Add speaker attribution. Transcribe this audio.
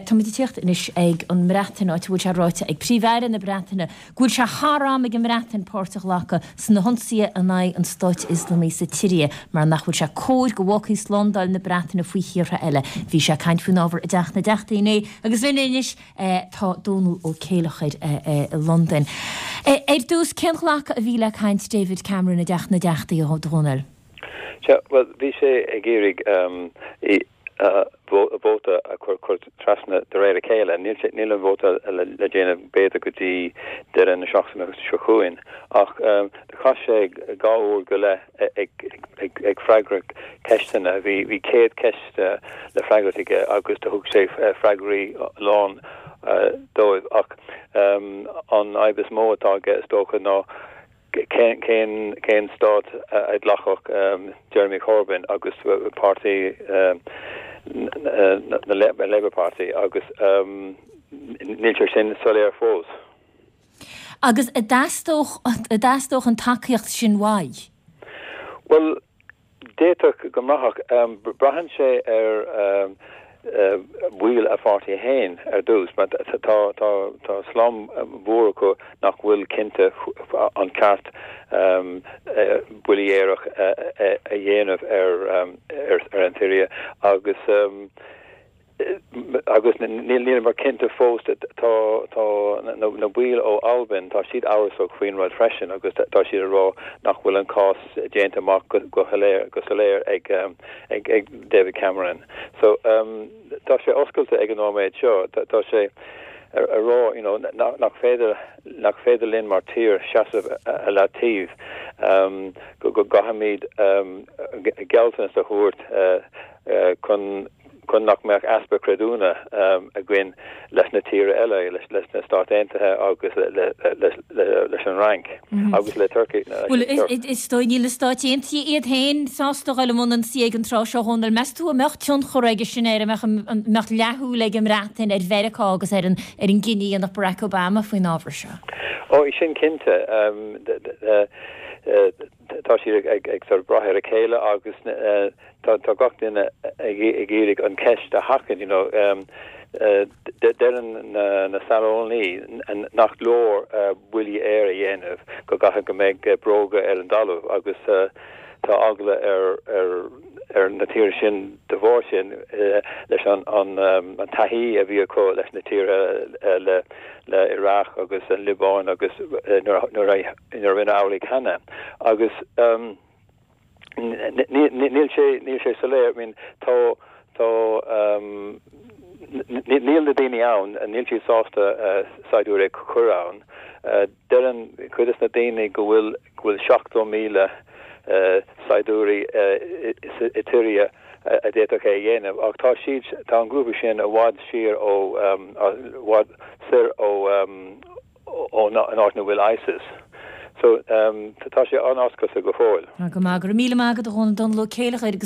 Speaker 1: Táimid ag tíocht anois ag an mBreatain, áit a bhfuil sé ráite ag Príomh-Aire na Breataine go bhfuil sé thar am ag an mBreatain páirt a ghlacadh sna hionsaithe in aghaidh an Stáit Ioslamaigh sa tSiria mar nach bhfuil sé cóir go bhfágfaí slándáil na Breataine faoi thíortha eile. Bhí sé ag caint faoin ábhar i dTeach na dTeachtaí inné agus linn anois tá Dónal Ó Céileachair i Londain. Ar dtús, cén ghlacadh a bhí le caint David Cameron i dTeach na dTeachtaí, a Dhónaill?
Speaker 2: Sea, bhuel, bhí sé ag iarraidh vóta a chur trasna de réir a chéile. Níl sé, níl an vóta le déanamh b'fhéidir go dtí deireadh na seachtaine seo chugainn ach do chaith sé 2 uair go leith ag freagairt ceisteanna. Bhí 100 ceist le freagairt aige agus do thug sé freagraí lán dóibh ach an fhadhb is mó atá aige is dócha ná Cén stát a ghlacfadh Jeremy Corbyn agus páirtí na Labour Party agus níl sé sin soiléir fós.
Speaker 1: Agus an dteastódh an tacaíocht sin uaidh?
Speaker 2: Bhuel, D'fhéadfadh go mbraithfeadh. Braitheann sé ar bhaill a pháirtí féin ar dtús, mar tá slám mhór acu nach bhfuil cinnte an ceart buillí aerach a dhéanamh ar an tSiria agus Agus níleamar cinnte fós, tá na baill ó Albain, tá siad amhrasach faoin rud freisin agus tá siad ag rá nach bhfuil an cás déanta amach go soiléir ag David Cameron. So tá sé oscailte ag an nóiméad seo. Tá sé ag rá you know nach féidir nach féidir linn mar tír seasamh ar leataobh, go gcaithfimid gealltanas a thabhairt chun chun nach mbeadh easpa creidiúna againn leis na tíortha eile, leis na Stáit Aontaithe agus leis an Fhrainc agus le Turkey.
Speaker 1: Bhuel, is dóigh, níl na Stáit Aontaithe iad féin sásta a dhul i mbun ionsaí ag an tráth seo, a Dhónaill. Meas tú an mbeadh tionchar aige sin air, an mbeadh leathshúil ag an mBreatain ar Mheiriceá agus ar an gcinneadh a dhéanfadh Barack Obama faoin ábhar seo?
Speaker 2: Ó, sin cinnte. Tá siad ag sort of brath ar a chéile agus tá gach duine ag iarraidh an cheist a sheachaint, you know. Deireann na saineolaí nach leor buillí aeir a dhéanamh, go gcaithfidh go mbeidh bróga ar an dtalamh agus tá eagla ar na tíortha sin de bharr sin leis an taithí a bhí acu leis na tíortha le Iraq agus an Liobáin agus nuair a nuair a rinneadh amhlaidh cheana agus níl sé níl sé soiléir I mean tá tá níl na daoine ann níl siad sásta saighdiúirí a chur ann deireann cuid de na daoine go bhfuil go bhfuil 70,000 saighdiúirí i tSiria a d'fhéadfadh é a dhéanamh ach tá siad tá an grúpa sin i bhfad siar ó i bhfad soir ó ón áit ina bhfuil ISIS. So, tá sé an-oscailte go fóill.
Speaker 1: Go maith, go raibh míle maith agat a Dhónaill, Dónal Ó Céileachair agus.